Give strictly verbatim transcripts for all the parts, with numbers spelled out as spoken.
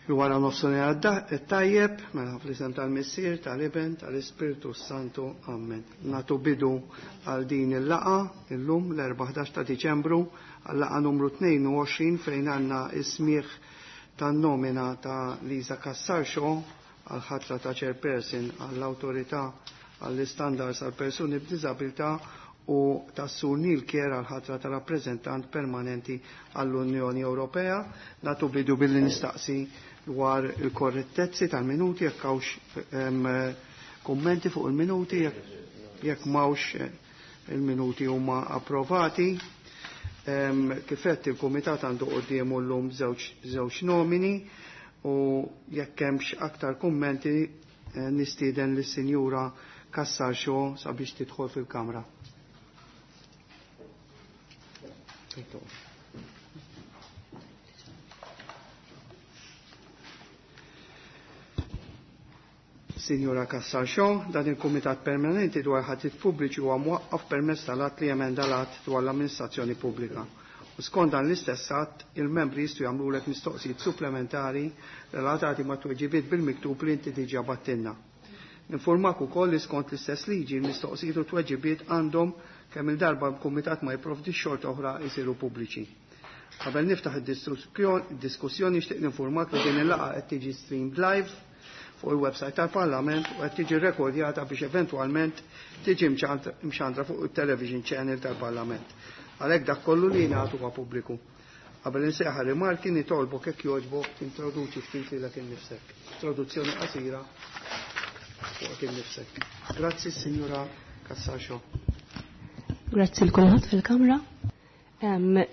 Wara nofsinhar tajjeb, mela fl-isem tal-Missier, tal-Iben, tal-Ispirtu Santu. Amen. Nagħtu bidu għal din il-laqgħa illum l-erbatax ta' Diċembru, għal-laqgħa numru tnejn u għoxrin, fejn għandna is-smigħ tan-nomina ta' Lisa Cassar Shaw għal ħatra ta' chairperson għall-Awtorità għall-Istandards għal persuni b'diżabilità u ta' Sur Neil Kerr għal ħatra ta' rappreżentant permanenti għall-Unjoni Ewropea. Nagħtu bidu billi nistaqsi dwar il-korrettezzi tal-minuti, jekk hawnx kummenti fuq il-minuti. Jekk m'hawnx, eh, il-minuti huma approvati. Kif għedt, il-Kumitat għandu quddiemu llum żewġ nomini u jekk hemmx aktar kummenti, eh, nistieden lis-Sinjura Cassar Shaw sabiex tidħol fil-kamra. Thank you. Sinjura Cassar Shaw, dan il-Kumitat Permanenti dwar ħatriet pubbliċi huwa mwaqqaf permezz tal-att li emenda l-att dwar l-amministrazzjoni pubblika. U skont dan l-istess att, il-membri jistgħu jagħmlulek mistoqsijiet supplementari relatati ma' tweġibiet bil-miktub li inti diġà bgħattilna. Informak ukoll li skont l-istess liġi, il-mistoqsijiet u tweġibiet għandhom, kemm il-darba l-Kumitat ma jipprovdi xorta oħra, jsiru pubbliċi. Qabel niftaħ id-diskussjoni, nixtieq ninformak li din il-laqgħa qed tiġi streamed live fuq il-website tal-Parlament u qed tiġi rekordjata biex eventwalment tiġi mxandra fuq il-television channel tal-Parlament. Għalhekk dak kollu li jingħatu huwa pubbliku. Qabel insejjaħ rimarki, nitolbok, jekk jogħġbok, tintroduċi ftit lilek innifsek. Introduzzjoni qasira fuq innifsek. Grazzi, Signora Cassar Shaw. Grazzi lil kulħadd fil-kamra.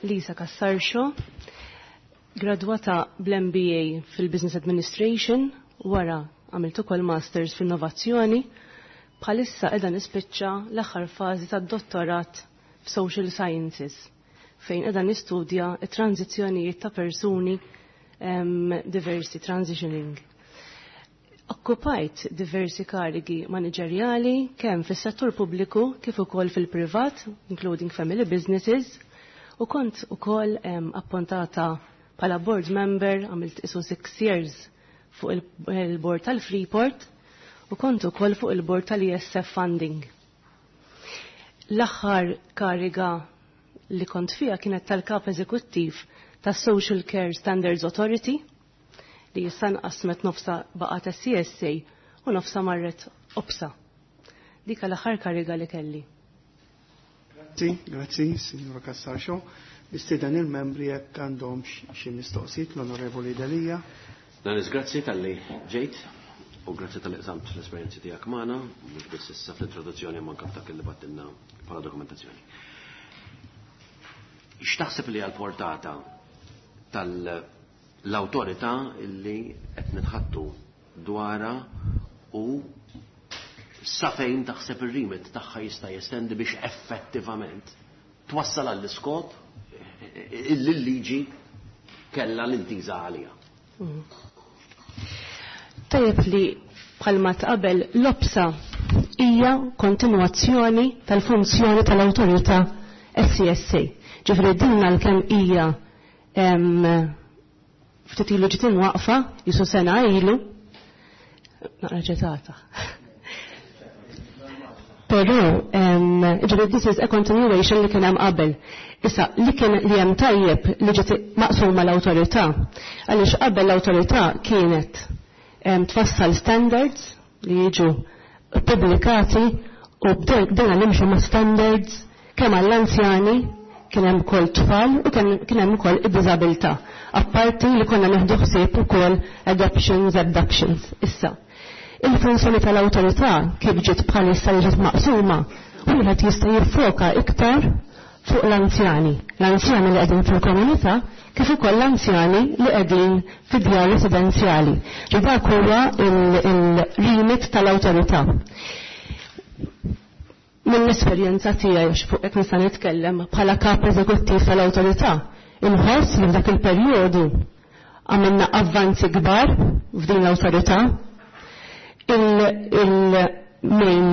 Lisa Cassar Shaw, gradwata bl-M B A fil-Business Administration, wara għamilt ukoll Masters f'Innovazzjoni, bħalissa qiegħda nispiċċa l-aħħar fażi tad-dottorat f'Social Sciences, fejn qiegħda nistudja t-tranzizzjonijiet ta' persuni um, diversi, transitioning. Okkupajt diversi karigi manageriali kemm fis-settur pubbliku kif ukoll fil-privat, including family businesses, u kont ukoll um, appuntata bħala board member, għamilt isu six years fuq il-board tal-Freeport u kont ukoll fuq il-board tal-E S F Funding. L-aħħar kariga li kont fija kienet tal-kap eżekuttiv tas Social Care Standards Authority, li issa nqasmet, nofsa baqgħet S C S A u nofsa marret OPSA. Dik l-aħħar kariga li kelli. Grazzi, grazzi, Signora Cassar Shaw. Nistieden il-membri jekk għandhom xi mistoqsijiet. L-Onorevoli Delia. Danis, grazzi talli ġejt u grazzi talli qsamt l-esperjenzi tiegħek magħna, mhux biss issa fl-introduzzjoni ma anke dak li bgħattilna bħala dokumentazzjoni. X'taħseb li għal-portata tal-awtorità illi qed nitħattu dwarha u sa fejn taħseb ir-remit tagħha jista' jestendi biex effettivament twassal għall-iskop illi l-liġi kella l-intiża għalija? Mm. Tajjeb li bħalma tqabel, l-OPSA hija kontinuazzjoni tal-funzjoni tal-awtorità S C S A. Ġifieri din għalkemm hija ftit ilu ġiet imwaqfa, jisu sena ilu, naqra ġetata. Però, ġifieri this is a continuation li kien hemm qabel. Issa, li kien li hemm tajjeb li ġiet maqsuma l-awtorità, għaliex qabel l-awtorità kienet tfassal standards li jiġu pubblikati u bdejna nimxu ma' standards kemm għall-anzjani, kien hemm ukoll tfal u kien hemm ukoll id-diżabilità. Apparti li konna neħdu ħsieb ukoll adoptions, abductions. Issa, il-funzjoni tal-awtorità kif ġiet bħalissa li ġiet maqsuma, wieħed jista' jiffoka iktar fuq l-anzjani. L-anzjani li qegħdin fil-komunità kif ukoll l-anzjani li qegħdin fid-djar residenzjali. Ġi dak huwa il-remit tal-awtorità. Mill-esperjenza tiegħi, għax fuq hekk nista' nitkellem bħala kap eżekuttiv tal-awtorità, inħoss li f'dak il-perjodu għamilna avvanzi kbar f'din l-awtorità. Il-main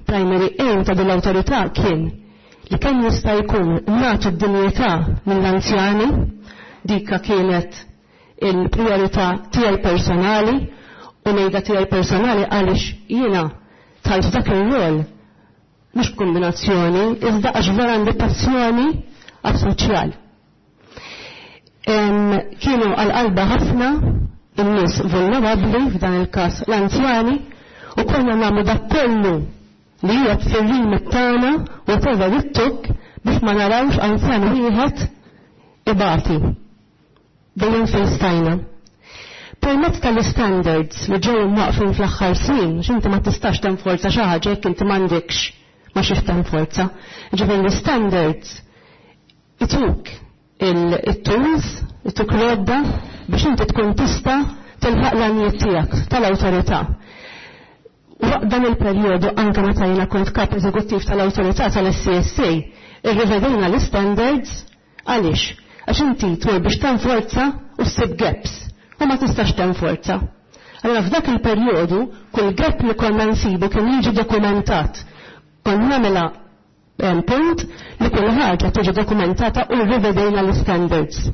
primary aim ta' din l-awtorità kien li kemm jista' jkun nagħtu d-dinjità mill-anzjani. Dika kienet il-priorità tiegħi personali u ngħidha tiegħi personali għaliex jiena dħalt dak ir-rol mhux b'kombinazzjoni, iżda għax vera għandi passjoni għas-soċjal. Kienu għal-qalba ħafna in-nies vulnerabbli f'dan il-każ l-anzjani u konna nagħmlu dak kollu li hija fir-rimit tagħna whatever it took biex ma narawx anzjan wieħed ibati. Dejjem fejn stajna. Permezz tal-standards li ġew imwaqfin fl-aħħar snin, x'inti ma tistax tenforza xi ħaġa jekk inti m'għandekx ma xiex tenforza. Ġifieri l-standards ituk il-tools, ituk l-għodda biex inti tkun tista' tilħaq l-għanijiet tiegħek tal-awtorità. Waqt dan il-perjodu anke meta jiena kont kap eżekuttiv tal-awtorità tal-SCSA, irrivedejna l-standards għaliex? Għax inti tmur biex tenforza u ssib gaps u ma tistax tenforza. Allora f'dak il-perjodu kull gap li konna nsibu kien jiġi dokumentat. Konna nagħmilha punt li kull ħaġa tiġi dokumentata u rrivedejna l-standards.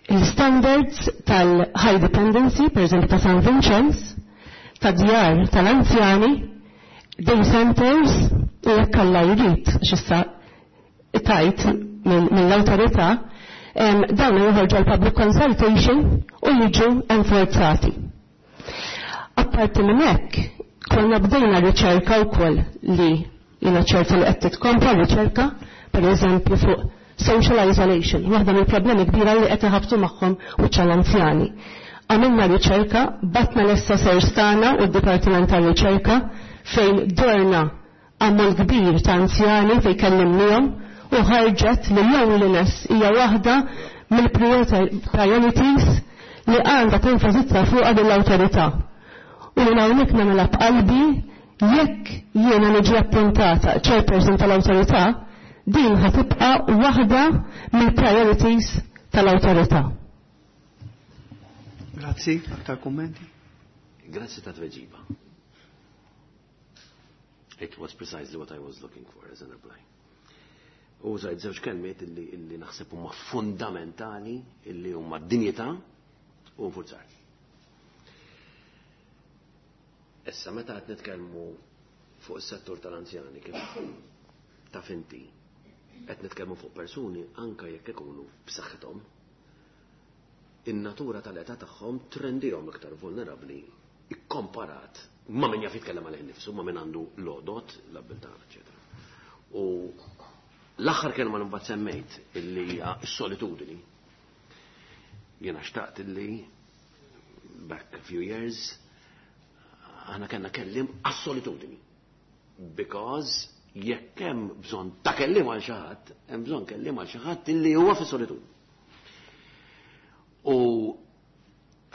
Il-standards tal-high dependency, per eżempju ta' San Vincenz, ta' djar tal-anzjani, day centers, u jekk Alla jrid, x'issa tajt mill-awtorità, dawn joħorġu għal public consultation u jiġu enforzati. Apparti minn hekk, konna bdejna riċerka wkoll li jiena ċerta li qed titkompla riċerka, per eżempju fuq social isolation, waħda mill-problemi kbira li qed iħabtu magħhom u l-anzjani. Għamilna riċerka, batna l-assessors tagħna u d-Dipartiment tar-Riċerka fejn dorna ammont kbir ta' anzjani fejn kellimnihom u ħarġet li loneliness hija waħda mill-priorities li għandha tenfasizza fuqha lill-awtorità. U li hawnhekk nagħmilha b'qalbi jekk jiena niġi appuntata chairperson tal-awtorità, din ħatibqa' waħda mill-priorities tal-awtorità. Grazzi, aktar kummenti? Grazzi ta' tweġiba. It was precisely what I was looking for as a reply. U użajt żewġ kelmiet illi, illi naħseb huma fundamentali illi huma dinjità u nfurzar. Issa meta qed nitkellmu fuq is-settur tal-anzjani kif taf inti qed nitkellmu fuq persuni anke jekk ikunu b'saħħithom, in-natura tal-età tagħhom trendihom iktar vulnerabbli ikkomparat ma' min jaf jitkellem għalih innifsu, ma' min għandu l-għodod, l-abbiltà, eċetera. U l-aħħar kelma li mbagħad semmejt illi hija s-solitudini. Jiena xtaqt illi back a few years aħna kellna kelliem għas-solitudini. Because jekk hemm bżonn ta' kelliem għal xi ħadd, hemm bżonn kelliem għal xi ħadd illi huwa fis-solitudni. U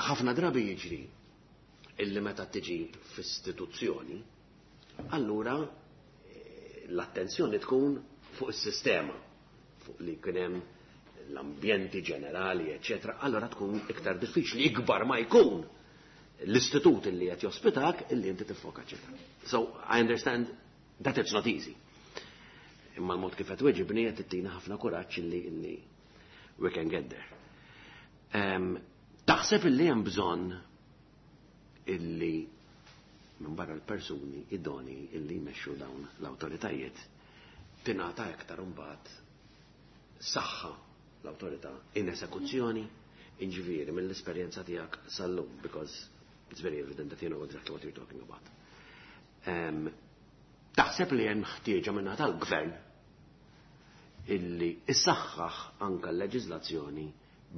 ħafna drabi jiġri illi meta tiġi f'istituzzjoni, allura eh, l-attenzjoni tkun fuq is-sistema, fuq li kien hemm l-ambjenti ġenerali, eccetera, allora tkun iktar diffiċli, ikbar ma jkun l-istitut illi qed jospitak illi inti tiffoka, eccetera. So I understand that it's not easy. Imma l-mod kif qed weġibni qed tittina ħafna kuraġġ illi illi we can get there. Um, taħseb illi hemm bżonn illi minn barra l-persuni idoni illi jmexxu dawn l-awtoritajiet tingħata iktar imbagħad saħħa l-awtorità in esekuzzjoni inġifieri mill-esperjenza tiegħek sal-lum because it's very evident that you know exactly what you're talking about. Um, taħseb li hemm ħtieġa minn tal-gvern illi issaħħaħ anka l-leġiżlazzjoni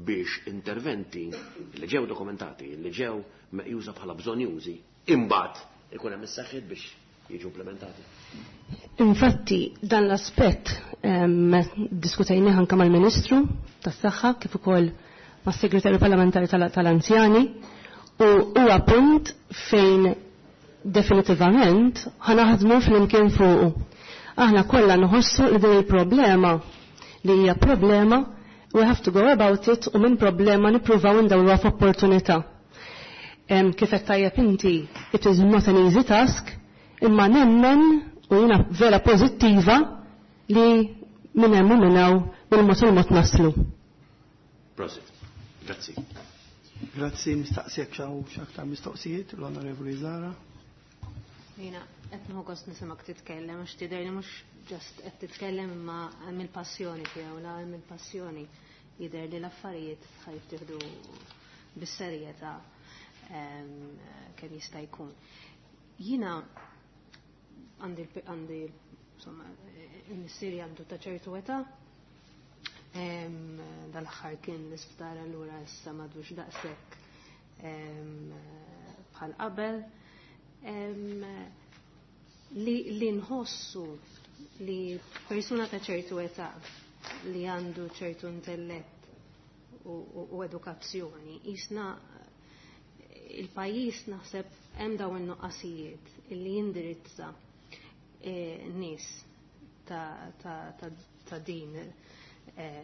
biex interventi li ġew dokumentati, li ġew meqjusa bħala bżonjużi, imbagħad ikun hemm is-saħħiet biex jiġu implementati. Infatti, dan l-aspett diskutajnih anke mal-Ministru tas-Saħħa kif ukoll mas-Segretarju Parlamentari tal-Anzjani u huwa punt fejn definitivament ħanaħdmu flimkien fuqu. Aħna kollha nħossu li din il-problema li hija problema we have to go about it u minn problema nippruvaw indawruha f'opportunità. Kif qed tajjeb inti, it is not an easy task, imma nemmen u jiena vera pożittiva li minn hemm u minn hawn bil-mod il-mod naslu. Prosit. Grazzi. Grazzi, nistaqsijek xi aktar mistoqsijiet, l-Onorevoli Zara. Jiena, qed nieħu gost nisimgħek titkellem, għax tidher li mhux just qed titkellem imma hemm il-passjoni tiegħu, la hemm il-passjoni jidher li l-affarijiet ħa jittieħdu bis-serjetà kemm jista' jkun. Jiena għandi għandi insomma il-missieri għandu ta' ċertu età, dal-aħħar kien l-isptar, allura issa m'għadux daqshekk bħal qabel. Li, li nħossu li persuna ta' ċertu età li għandu ċertu intellett u, u, u edukazzjoni, jisna il-pajjiż naħseb hemm dawn in-nuqqasijiet illi jindirizza eh, nies ta', ta, ta, ta' din eh,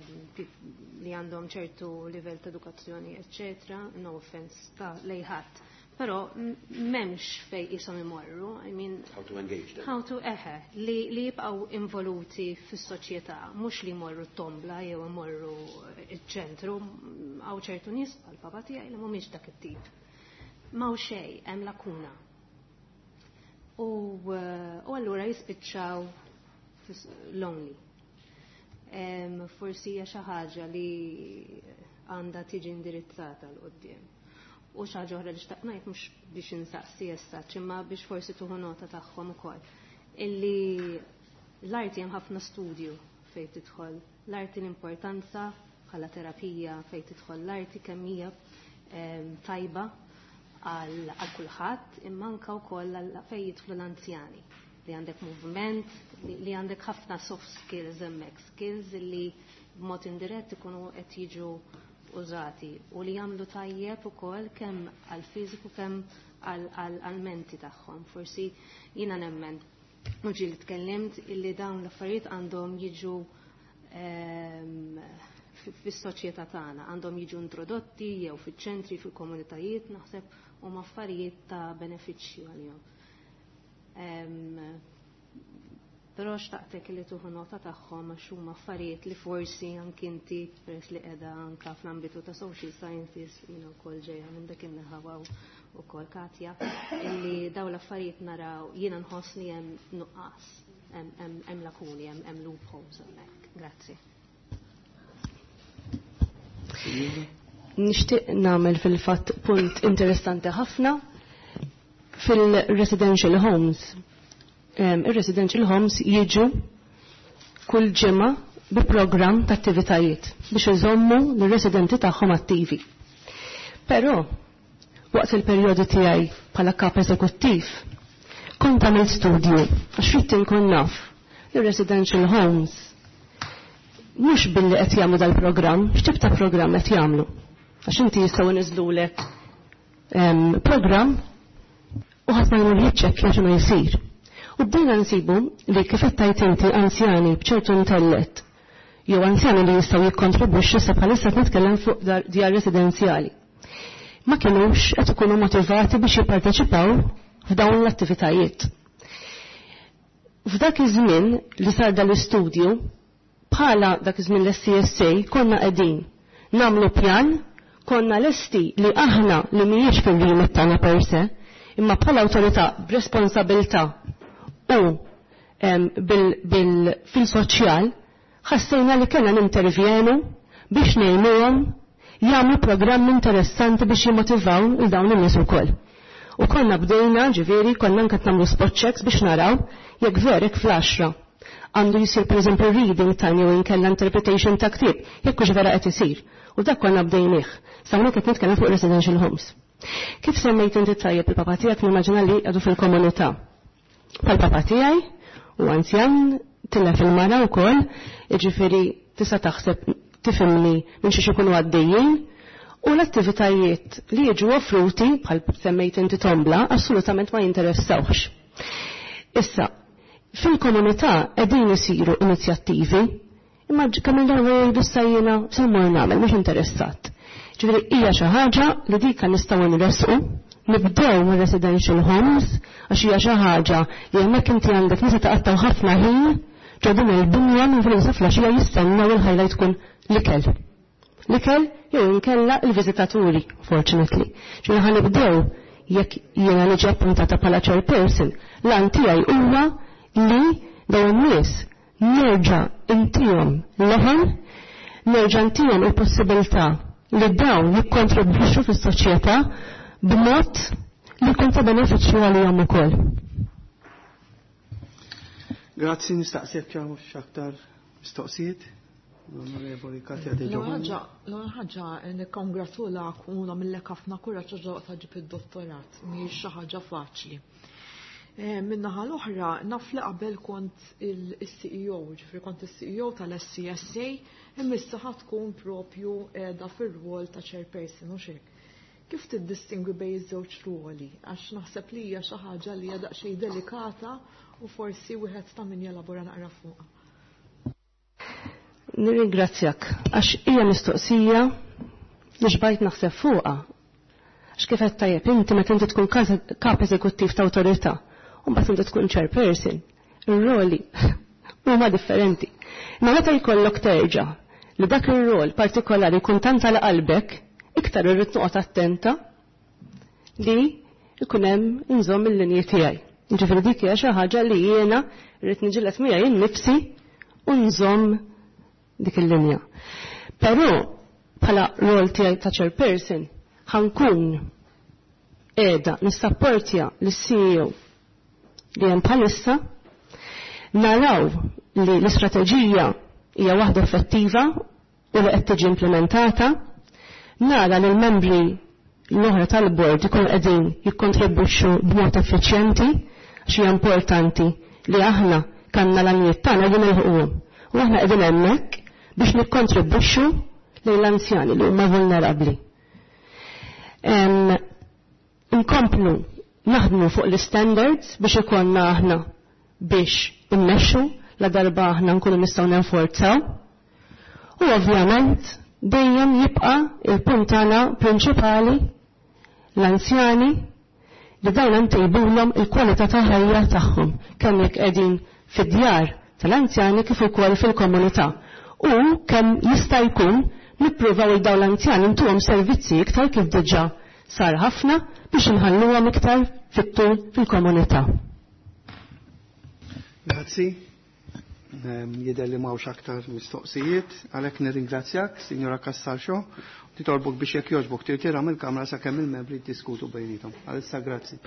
li għandhom ċertu livell ta' edukazzjoni, eccetera, no offense ta' lejn ħadd. Però m'hemmx fejn jisom imorru, I mean, How to engage them. How to, eħe, li, li jibqaw involuti fis-soċjetà, mhux li jmorru t-tombla jew imorru iċ-ċentru, hawn ċertu nies bħal papa tiegħi li mhumiex dak it-tip. M'hawn xejn, hemm lakuna. U, u allura jispiċċaw lonely. Um, forsi hija xi ħaġa li għandha tiġi indirizzata 'l quddiem. U xi ħaġa oħra li xtaqt ngħid, mhux biex insaqsi issa, imma biex forsi tieħu nota tagħhom ukoll. Illi l-arti, hemm ħafna studju fejn tidħol l-arti, l-importanza bħala terapija fejn tidħol l-arti, kemm hija tajba għal kulħadd, imma anke wkoll fejn jidħlu l-anzjani, li għandek movement, li għandek ħafna soft skills hemmhekk, skills li b'mod indirett ikunu qed jiġu użati u li jagħmlu tajjeb ukoll kemm għal fiżiku kemm għal menti tagħhom. Forsi jiena nemmen, u ġieli tkellimt, illi dawn l-affarijiet għandhom jiġu ehm, fis-soċjetà tagħna, għandhom jiġu introdotti jew fiċ-ċentri, fil-komunitajiet, naħseb huma affarijiet ta' benefiċċju għalihom. Ehm, però xtaqtek li tieħu nota tagħhom għax huma affarijiet li forsi anki inti, peress li qiegħda anka fl-ambitu ta' social sciences, jiena wkoll ġejja minn dak in-naħa ukoll Katja, illi dawn l-affarijiet naraw, jiena nħoss li hemm nuqqas, hemm lakuni, hemm loopholes hemmhekk. Grazzi. Nixtieq nagħmel fil-fatt punt interessanti ħafna fil-residential homes. Il-residential homes jiġu kull ġimgħa bi program ta' attivitajiet biex iżommu l-residenti tagħhom attivi. Però waqt il-perjodu tiegħi bħala kap eżekuttiv kont għamilt studju għax ridt inkun naf il-residential homes mhux billi qed jagħmlu dal-programm, x'tip ta' programm qed jagħmlu. Għax inti jistgħu niżlulek programm u ħadd ma jmur jiċċekkja x'inhu jsir. U bdejna nsibu li kif qed tajt inti, anzjani b'ċertu intellett jew anzjani li jistgħu jikkontribwixxu, sa bħalissa qed nitkellem fuq djar residenzjali, ma kinux qed ikunu motivati biex jipparteċipaw f'dawn l-attivitajiet. F'dak iż-żmien li sar dal-istudju, bħala dak iż-żmien l-S C S A konna qegħdin nagħmlu pjan, konna lesti li aħna, li mhijiex fil-remit tagħna per se, imma bħala awtorità b'responsabilità u bil fil-soċjal ħassejna li kellna nintervjenu biex ngħinuhom jagħmlu programm interessanti biex jimotivaw il dawn in-nies ukoll. U konna bdejna, ġifieri, konna anke nagħmlu spot checks biex naraw jekk verek fl-għaxra għandu jisir per eżempju reading time jew inkella interpretation ta' ktieb, jekk hux vera qed isir. U dak konna bdejnih. Sa hawnhekk qed nitkellem fuq residential homes. Kif semmejt inti tajjeb il-papa tiegħek, nimmaġina li għadu fil-komunità. Pal-papa tiegħi u anzjan, tilef il-mara wkoll, jiġifieri tista' taħseb tifhimni minn xiex ikunu għaddejjin, u l-attivitajiet li jiġu offruti, bħal semmejt inti tombla, assolutament ma jinteressawx. Issa, fil-komunità qegħdin isiru inizjattivi, imma kemm il-darba jgħidu sajjina se mmur nagħmel, mhux interessat. Ġifieri hija xi ħaġa li dika nistgħu nresqu, nibdew mir residential homes, għax hija xi ħaġa li hemmhekk inti għandek nisa taqattaw ħafna ħin ġo din il-binja minn fil flaxija jistennew il-highlight tkun l-ikel. l-ikel jew inkella il-viżitaturi, fortunately. Ġifieri ħa nibdew jekk jiena niġi appuntata bħala chairperson, l-għan tiegħi huwa li dawn in-nies nerġa' intihom leħen, nerġa' intihom il-possibilità li dawn jikkontribwixxu fis-soċjetà b'mod li jkun ta' benefiċċju għalihom ukoll. Grazzi, nistaqsijek hawn x'aktar mistoqsijiet. L-Onorevoli Katja De Giovanni. L-ewwel ħaġa nikkongratulak u nagħmillek ħafna kuraġġ għax ta' ġib id-dottorat, mhijiex xi ħaġa faċli. Min-naħa l-oħra naf li qabel kont il-C E O, ġifieri kont il-C E O tal-S C S A, imma issa ħa tkun propju qiegħda fir-rwol ta' chairperson u xek. Kif tiddistingwi bejn iż-żewġ ruoli? Għax naħseb li hija xi ħaġa li hija daqsxejn delikata u forsi wieħed ta' min jelabora naqra fuqha. Nirringrazzjak għax hija mistoqsija li xbajt naħseb fuqha. Għax kif qed tajjeb inti meta inti tkun kap eżekuttiv ta' awtorità u mbagħad inti tkun chairperson, ir-roli huma differenti. Imma meta jkollok terġa' li dak ir-rol partikolari jkun tant għal qalbek, iktar irrid noqgħod attenta li jkun hemm inżomm il-linji tiegħi. Ġifieri dik hija xi ħaġa li jiena rrid niġilet miegħi innifsi u nżomm dik il-linja. Però bħala rol tiegħi ta' chairperson ħankun qiegħda nissapportja lis-C E O li hemm bħalissa, naraw li l-istrateġija hija waħda effettiva u li qed tiġi implementata, nara li l-membri l-oħra tal-bord ikun qegħdin jikkontribwixxu b'mod effiċjenti, għax hija importanti li aħna kanna l-għanijiet tagħna li nilħquhom. U aħna qegħdin hemmhekk biex nikkontribwixxu lejn l-anzjani li huma vulnerabbli. Inkomplu naħdmu fuq l-standards biex ikollna aħna biex immexxu la darba aħna nkunu nistgħu nenforzaw. U ovvjament dejjem jibqa' il-punt tagħna prinċipali l-anzjani, li dawn ntejbulhom il-kwalità ta' ħajja tagħhom kemm jekk qegħdin fid-djar tal-anzjani kif ukoll fil-komunità. U kemm jista' jkun nippruvaw il dawn l-anzjani ntuhom servizzi iktar, kif diġà sar ħafna, biex inħalluhom iktar fit-tul fil-komunità. Grazzi. Jidher li m'hawnx aktar mistoqsijiet, għalhekk nirringrazzjak, Signora Cassar Shaw, nitolbok biex jekk jogħġbok tirtira mill-kamra sakemm il-membri jiddiskutu bejnietom. Għalissa grazzi.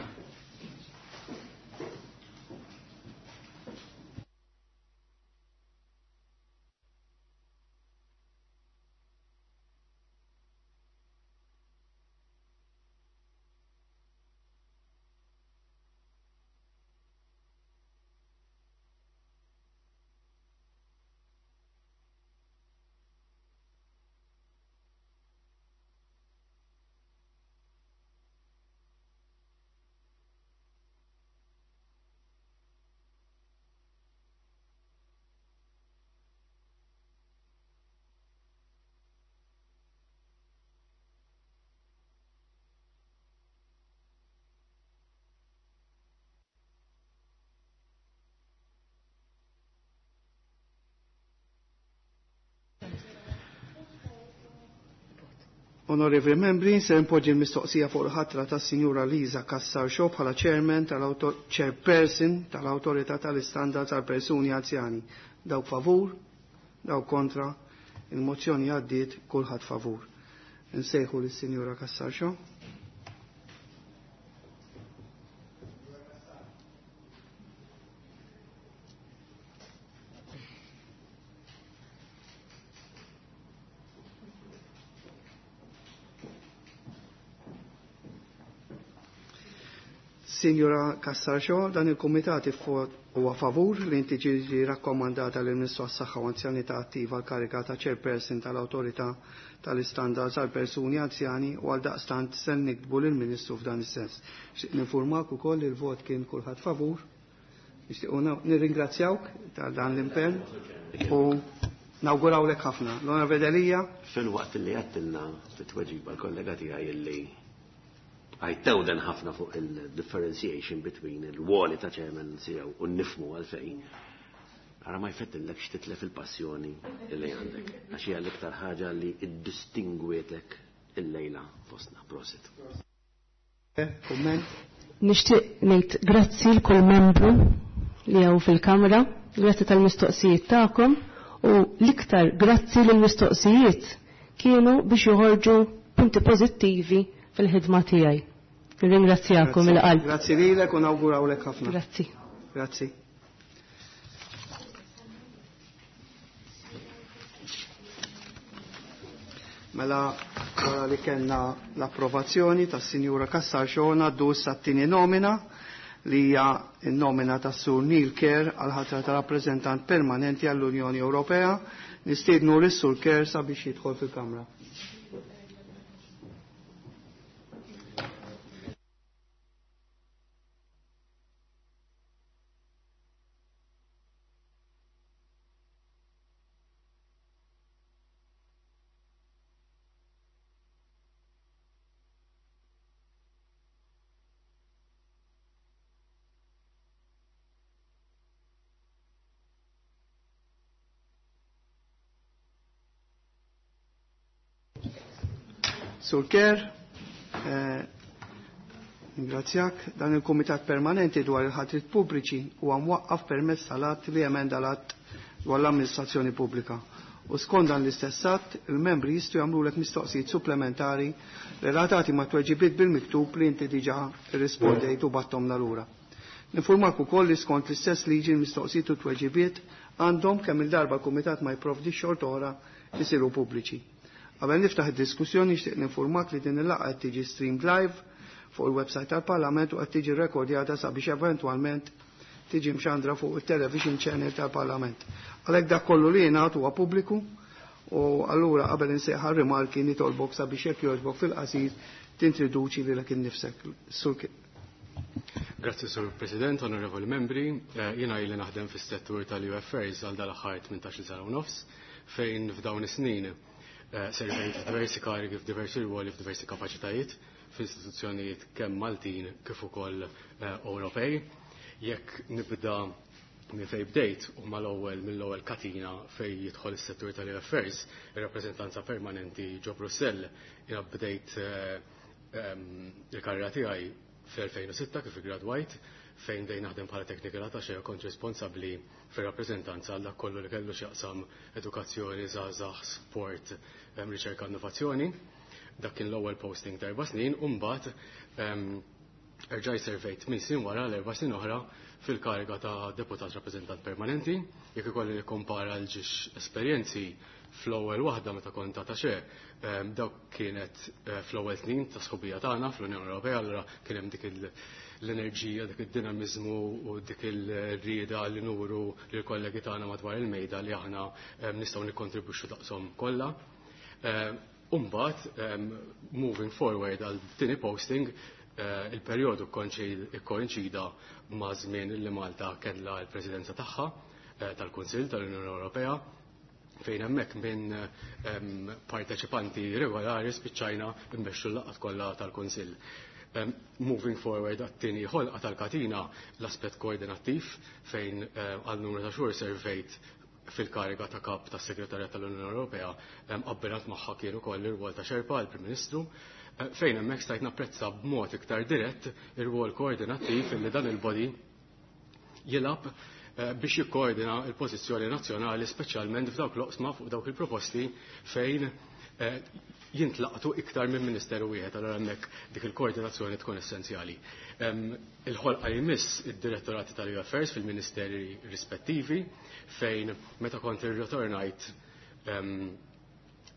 Onorevoli membri, se npoġġi l-mistoqsija fuq il-ħatra ta' Sinjura Liza Cassar Shaw bħala chairman tal-chairperson tal-Awtorità tal-Istandard tal-Persuni Anzjani. Dawk favur, dawk kontra, il-mozzjoni għaddiet, kulħadd favur. Nsejħu lis-Sinjura Cassar Shaw. Signora Cassar Shaw, dan il-Kumitat huwa favur li inti ġiġi rakkomandata lil Ministru għas-Saħħa u Anzjanità Attiva l-kariga ta' Chairperson tal-Awtorità tal-Istandards għal Persuni Anzjani u għal daqstant se niktbu lill Ministru f'dan is-sens. Nixtieq ninfurmak ukoll li l-vot kien kulħadd favur. Nixtiequ nirringrazzjawk ta' dan l-impenn u nawgurawlek ħafna. L-Onorevoli Delia. Fil-waqt li għattilna fit-tweġiba l-kollega tiegħi illi għajtewden ħafna fuq il-differentiation between il-woli ta' chairman C E O u nifmu għalfejn. Ara ma jfettillekx titlef il-passjoni li għandek, għax hija l-iktar ħaġa li iddistingwietek illejla fostna. Prosit. Kumment? Nixtieq ngħid grazzi l kull membru li hawn fil-Kamra, grazzi tal-mistoqsijiet tagħkom u l-iktar grazzi lill mistoqsijiet kienu biex joħorġu punti pożittivi fil-ħidma tiegħi. Nirringrazzjakom il-qalb. Grazzi lilek u nawgurawlek ħafna. Grazzi. Grazzi. Mela wara li kellna l-approvazzjoni tas-Sinjura Cassar Xona għaddu issa t-tieni nomina li hija n-nomina tas-Sur Neil Kerr għal ħatra ta' rappreżentant permanenti għall-Unjoni Ewropea. Nistiednu lis-Sur Kerr sabiex jidħol fil-Kamra. Sur Kerr, eh, ringrazzjak, dan il-Kumitat Permanenti dwar il-ħatrit pubbliċi huwa mwaqqaf permezz tal-att li emenda l-att dwar l-amministrazzjoni pubblika. U skont dan l-istess att, il-membri jistgħu jagħmlulek mistoqsijiet supplementari relatati ma' tweġibiet bil-miktub li inti diġà rrispondejt u battomna lura. Ninformak ukoll li skont l-istess liġi l-mistoqsijiet u tweġibiet għandhom kemm il-darba l-Kumitat ma jipprovdix xorta oħra isiru pubbliċi. Qabel niftaħ id-diskussjoni nixtieq ninformak li din il-laqgħa qed tiġi streamed live fuq il-website tal-Parlament u qed tiġi rekordjata sabiex eventwalment tiġi mxandra fuq il-television channel tal-Parlament. Għalhekk dak kollu li jingħad huwa pubbliku u allura qabel insejħa rimarki nitolbok sabiex jekk jogħġbok fil-qasir tintroduċi lilek innifsek. Sur Grazzi Sur President, onorevoli membri, jiena ili naħdem fis-settur tal-U Affairs għal dal-aħħar tmintax-il sena u nofs fejn f'dawn is-snin servejt f'diversi karigi, f'diversi ruoli, f'diversi kapaċitajiet f'istituzzjonijiet kemm Maltin kif ukoll Ewropej. Jekk nibda minn fejn bdejt u mal-ewwel mill-ewwel katina fejn jidħol is-settur tal-U Affairs, ir-rappreżentanza permanenti ġo Brussell, jiena bdejt il-karriera tiegħi fl-elfejn u sitta kif iggradwajt, fejn dejn naħdem bħala technical attaché kont responsabbli fir-rappreżentanza għal dak kollu li kellu x'jaqsam edukazzjoni, żgħażagħ, sport, riċerka, innovazzjoni. Dak kien l-ewwel posting ta' erba' snin u mbagħad erġaj servejt minn snin wara l-erba' snin oħra fil-kariga ta' deputat rappreżentant permanenti. Jekk ikolli nikkompara l-ġiex esperjenzi fl-ewwel waħda meta kont attaché, dawk kienet fl-ewwel snin ta' sħubija tagħna fl-Unjoni Ewropea, allura kien hemm dik l-enerġija, dik id-dinamiżmu u dik il-rieda li nuru lill kollegi tagħna madwar il-mejda li aħna nistgħu nikkontribwixxu daqshom kollha. U mbagħad moving forward għal tieni posting, il-perjodu ikkoinċida ma' żmien li Malta kellha l-presidenza tagħha tal-Kunsill tal-Unjoni Ewropea, fejn hemmhekk minn parteċipanti regolari spiċċajna mmexxu l-laqgħat kollha tal-Kunsill. Moving forward għat-tieni ħolqa tal-katina l-aspett koordinattiv fejn għal numru ta' xhur servejt fil-kariga ta' kap tas segretarjat tal-Unjoni Ewropea, abbinat magħha kien ukoll ir-rwol ta' Sherpa l-Prim Ministru, fejn hemmhekk stajt napprezza b'mod iktar dirett ir-rwol koordinattiv illi dan il-body jilgħab biex jikkoordina l-pożizzjoni nazzjonali speċjalment f'dawk l-oqsma fuq dawk il-proposti fejn jintlaqtu iktar minn ministeru wieħed, allura hemmhekk dik il-koordinazzjoni tkun essenzjali. Il-ħolqa jmiss id-direttorati tal-U Affairs fil-ministeri rispettivi fejn meta kont irritornajt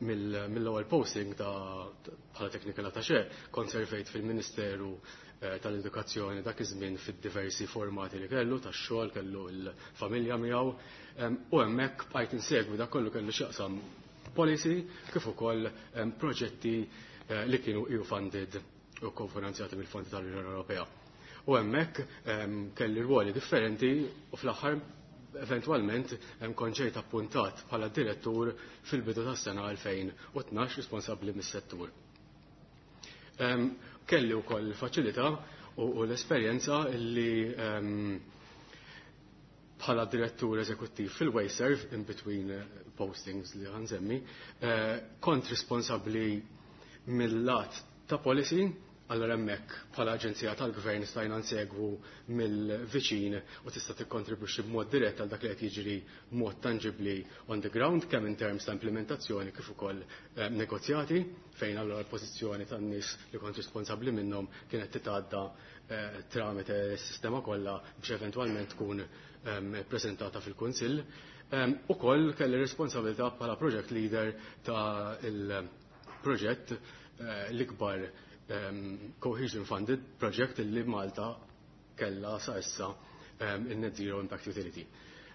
mill-ewwel posting ta' bħala technical attaché kont servejt fil-Ministeru tal-Edukazzjoni dak iż-żmien fid-diversi formati li kellu, tax-xogħol, kellu l-familja miegħu, u hemmhekk bqajt insegwi dak kollu kellu x'jaqsam policy kif ukoll proġetti li kienu E U funded u kofinanzjati mill-fondi tal-Unjoni Ewropea. U hemmhekk kelli rwoli differenti u fl-aħħar eventwalment kont ġejt appuntat bħala direttur fil-bidu tas-sena elfejn u tnax responsabbli mis-settur. Kelli wkoll faċilità u l-esperjenza li Bħala direttur eżekuttiv fil-WasteServ, in between postings li ħa nsemmi, kont responsabbli mill-lat ta' policy. Allora hemmhekk bħala aġenzija tal-gvern stajna nsegwu mill-viċin u tista' tikkontribwixxi b'mod dirett għal dak li qed jiġri b'mod tangibbli on the ground, kemm in terms ta' implementazzjoni kif ukoll eh, negozjati, fejn allora l-pożizzjoni tan-nies li kont responsabbli minnhom kienet titgħadda eh, tramite s-sistema kollha biex eventwalment tkun ehm, prezentata fil-Kunsill. Um, Ukoll kelli responsabilità bħala project leader ta' il-proġett eh, l-ikbar um, cohesion funded project li Malta kella sa issa, um, il-Net Zero Impact Utility.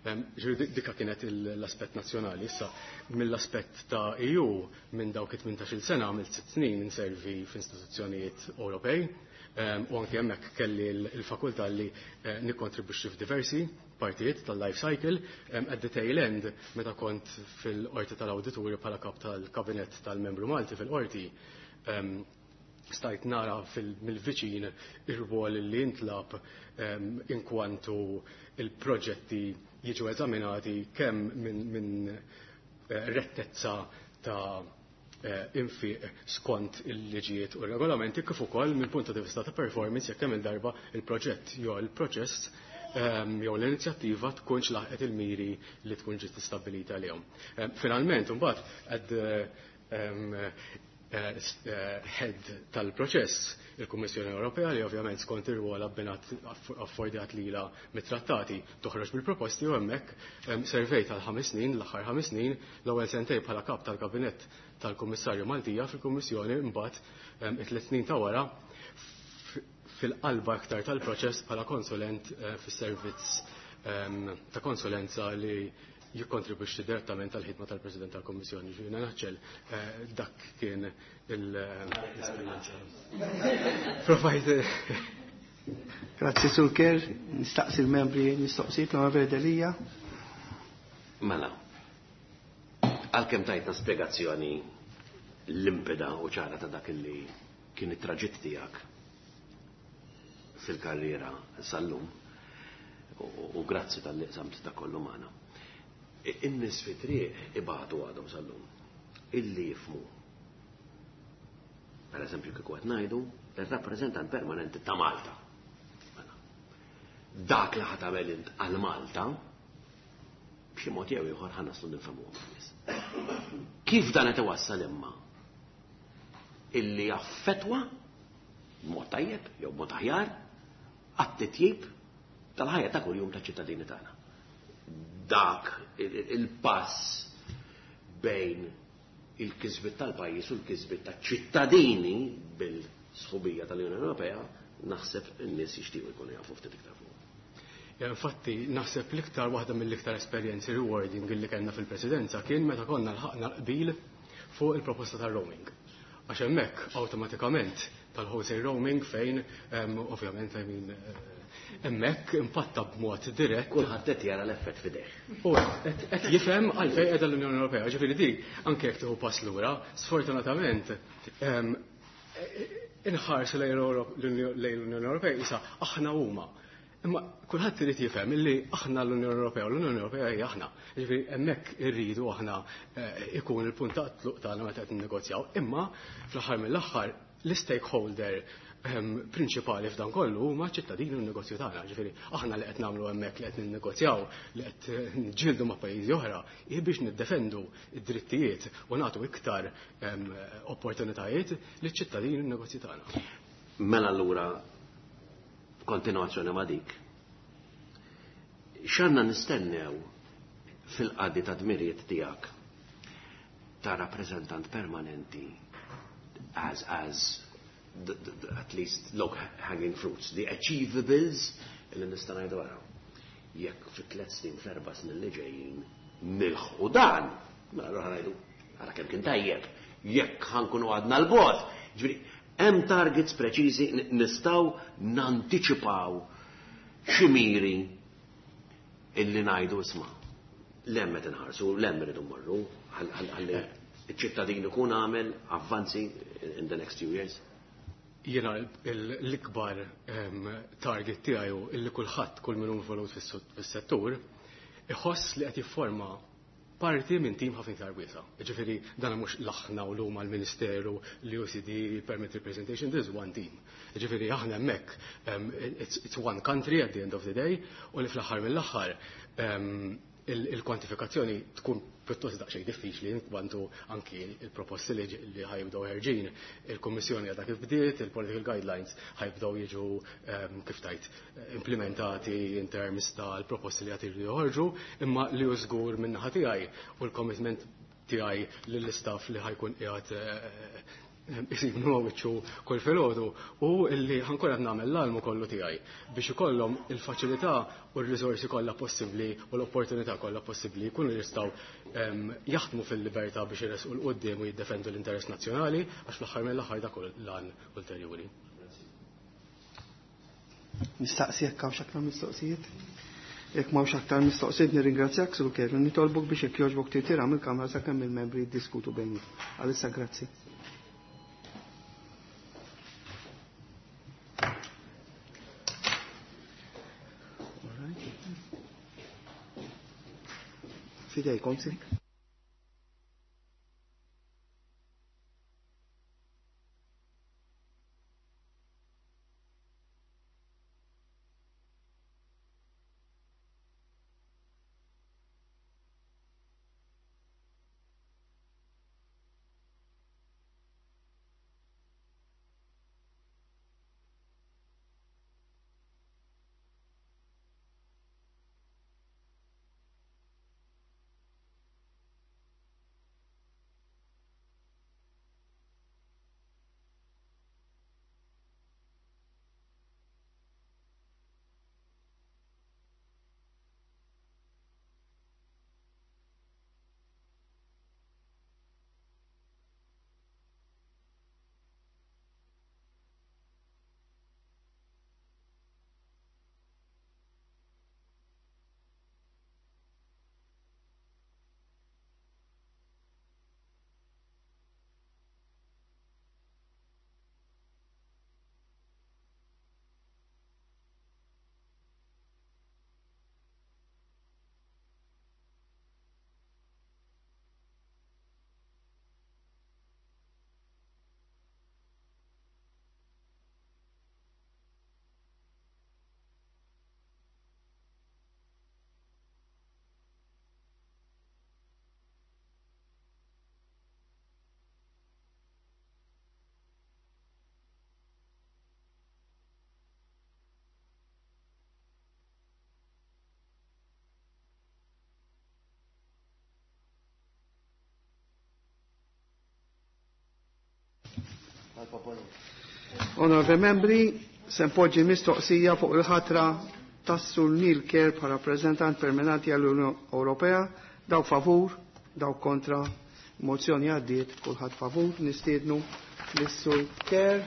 Um, dika kienet l-aspett nazzjonali. Issa, mill-aspett ta' E U, minn dawk it-tmintax-il sena għamilt sitt snin inservi f'istituzzjonijiet Ewropej, um, u anke hemmhekk kelli l-fakultà li uh, nikkontribwixxi f'diversi partijiet tal-life cycle. um, at the tail end, meta kont fil-qorti tal-awdituri bħala kap tal-kabinet tal-membru Malti fil-qorti, um, stajt nara mill-viċin ir-rwol li intlab um, inkwantu il-proġetti jiġu eżaminati kemm minn min, eh, rettezza ta' eh, infiq skont il-liġijiet u regolamenti kif ukoll minn punta di vista ta' performance, jekk kemm il-darba il-proġett jew il-proċess um, jew l-inizjattiva tkunx laħqet il-miri li tkun ġiet stabbilita għalihom. Um, finalment, imbagħad għad um, Eh, eh, head tal-proċess, il-Kummissjoni Ewropea, li ovvjament skont ir-rwol abbinat affordjat lila mit-trattati toħroġ bil-proposti, u hemmhekk servejt għal ħames snin, l-aħħar ħames snin, l-ewwel sentej bħala kap tal-kabinett tal-Kummissarju Maltija fil-Kummissjoni, mbagħad it-tliet snin ta' wara fil-qalba aktar tal-proċess bħala konsulent eh, fis-servizz ta' konsulenza li jikkontribwixxi direttament għal ħidma tal-President tal-Kommissjoni. Ġifieri naħċel eh, dak kien l-esperjenza. Provajt. Grazzi, Sur Kerr, nistaqsi l-membri mistoqsijiet, l-Onorevoli Delia. Mela, għalkemm tajtna spjegazzjoni limpida u ċara ta' dak li kien it-traġitt tiegħek fil-karriera sal-lum, u grazzi talli qsamt ta' kollu magħna. In-nies fi triq ibatu għadhom sal-lum. Illi jifhmu. Per eżempju, kieku qed ngħidu ir-rappreżentant permanenti ta' Malta. Mela, dak li ħa tagħmel int għal Malta, b'xi mod jew ieħor ħa naslu nifhmuhom nies. Kif dan qed iwassal imma illi jaffetwa b'mod tajjeb jew b'mod aħjar għat-titjib tal-ħajja ta' kuljum ta' ċittadini tagħna? Dak il-pass bejn il-kisbit tal-pajjiż u l-kisbit ta' ċittadini bil-sħubija tal-Unjoni Ewropea, naħseb in-nies jixtiequ jkunu jafu ftit iktar fuq. Infatti, naħseb l-iktar waħda mill-iktar esperjenzi rewarding li kellna fil-presidenza kien meta konna lħaqna qbil fuq il-proposta tal-roaming. Għax hemmhekk awtomatikament tal-wholesale roaming fejn ovvjament, I mean, eh, hemmhekk impatta b'mod dirett. Kulħadd qed jara l-effett f'idejh. U qed jifhem għalfejn qiegħda l-Unjoni Ewropea. Ġifieri di anke jekk tieħu pass lura, sfortunatament inħarsu lejn l-Unjoni Ewropea issa aħna huma. Imma kulħadd irid jifhem illi aħna l-Unjoni Ewropea u l-Unjoni Ewropea hija aħna. Ġifieri hemmhekk irridu aħna eh, ikun il-punt ta' tluq tagħna meta qed ninnegozjaw. Imma fl-aħħar mill-aħħar l-stakeholder ehm, prinċipali f'dan kollu huma ċittadini u n-negozju tagħna. Ġifieri aħna li qed nagħmlu hemmhekk, li qed ninnegozjaw, li qed niġġieldu ma' pajjiżi oħra, hi biex niddefendu id-drittijiet u nagħtu iktar ehm, opportunitajiet liċ-ċittadini u n-negozju tagħna. Mela allura kontinuazzjoni ma' dik. X'għandna nistennew fil-qadi ta' dmirijiet tiegħek ta' rappreżentant permanenti as, as the, the, the, at least low hanging fruits, the achievables illi nista' ngħidu wara? Jekk fi tliet snin, fl-erba' snin li ġejjin nilħqu dan, mela allura ngħidu ara kemm kien tajjeb, jekk ħa nkunu għadna 'l bogħod. Ġifieri, hemm targets preċiżi, nistgħu nantiċipaw xi miri illi ngħidu, isma' 'l hemm qed inħarsu, 'l hemm irridu mmorru, ħalli iċ-ċittadin ikun għamel avvanzi in the next few years? Jiena l-ikbar target tiegħi illi kulħadd, kull min involut fis-settur, iħoss li qed jifforma parti minn tim ħafna iktar wiesa'. Ġifieri dan mhux l-aħna u l-huma l-Ministeru, l-U C D, Permanent Representation, this is one team. Ġifieri aħna hemmhekk um, it's, it's one country at the end of the day, u li fl-aħħar mill-aħħar um, il-kwantifikazzjoni tkun pjuttost daqsxejn diffiċli kwantu anki il-proposti li li ħa jibdew ħerġin, il-Kummissjoni għadha kif bdiet, il-political guidelines ħa jibdew jiġu um, kif tajt implementati in terms tal-proposti li għad joħorġu, imma li hu żgur minn naħa tiegħi u l-commitment tiegħi lill-istaff li ħa jkun qiegħed isibnu wiċċu kull filgħodu u illi ħa nkun qed nagħmel l-almu kollu tiegħi biex ikollhom il-faċilità u r-riżorsi kollha possibbli u l-opportunità kollha possibbli jkunu jistgħu jaħdmu fil-libertà biex iresqu 'l quddiem u jiddefendu l-interess nazzjonali, għax fl-aħħar mill-aħħar dak l-għan ulterjuri. Nistaqsi jekk hawnx aktar mistoqsijiet? Jekk m'hawnx aktar mistoqsijiet, nirringrazzjak, Sur Kerr, nitolbok biex jekk jogħġbok tirtira mill-kamra sakemm il-membri jiddiskutu bejni. Għalissa grazzi. All right. Fidejkom, si. Onorevoli membri, se npoġġi mistoqsija fuq il-ħatra tas-Sur Neil Kerr bħala rappreżentant permanenti għall-Unjoni Ewropea. Dawk favur, dawk kontra, mozzjoni għaddiet, kulħadd favur, nistiednu lis-Sur Kerr.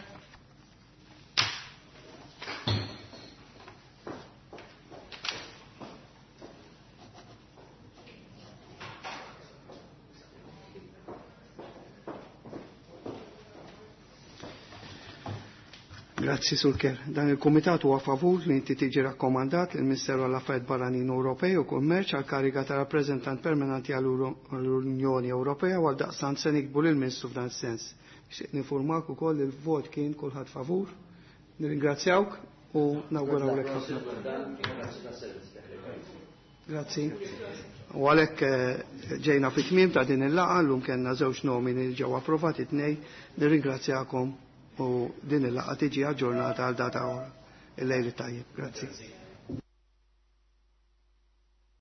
Grazzi, Sur Kerr. Dan il-Kumitat huwa favur li inti tiġi rakkomandat il-Ministeru għall-Affarijiet Barranin Ewropej u Kummerċ għal kariga ta' rappreżentant permanenti għall-Unjoni Ewropea, u għaldaqstant se niktbu lill-Ministru f'dan sens. Nixtieq nifurmak ukoll il-vot kien kulħadd favur. Nirringrazzjawk u nawgurawlek ħafna. Grazzi. U għalhekk eh, ġejna fit-tmiem ta' din il-laqgħa. Llum kellna żewġ nomini li ġew approvati tnejn. Nirringrazzjakom u din il-laqgħa tiġi aġġornata għal data oħra. Il-lejl tajjeb. Grazzi.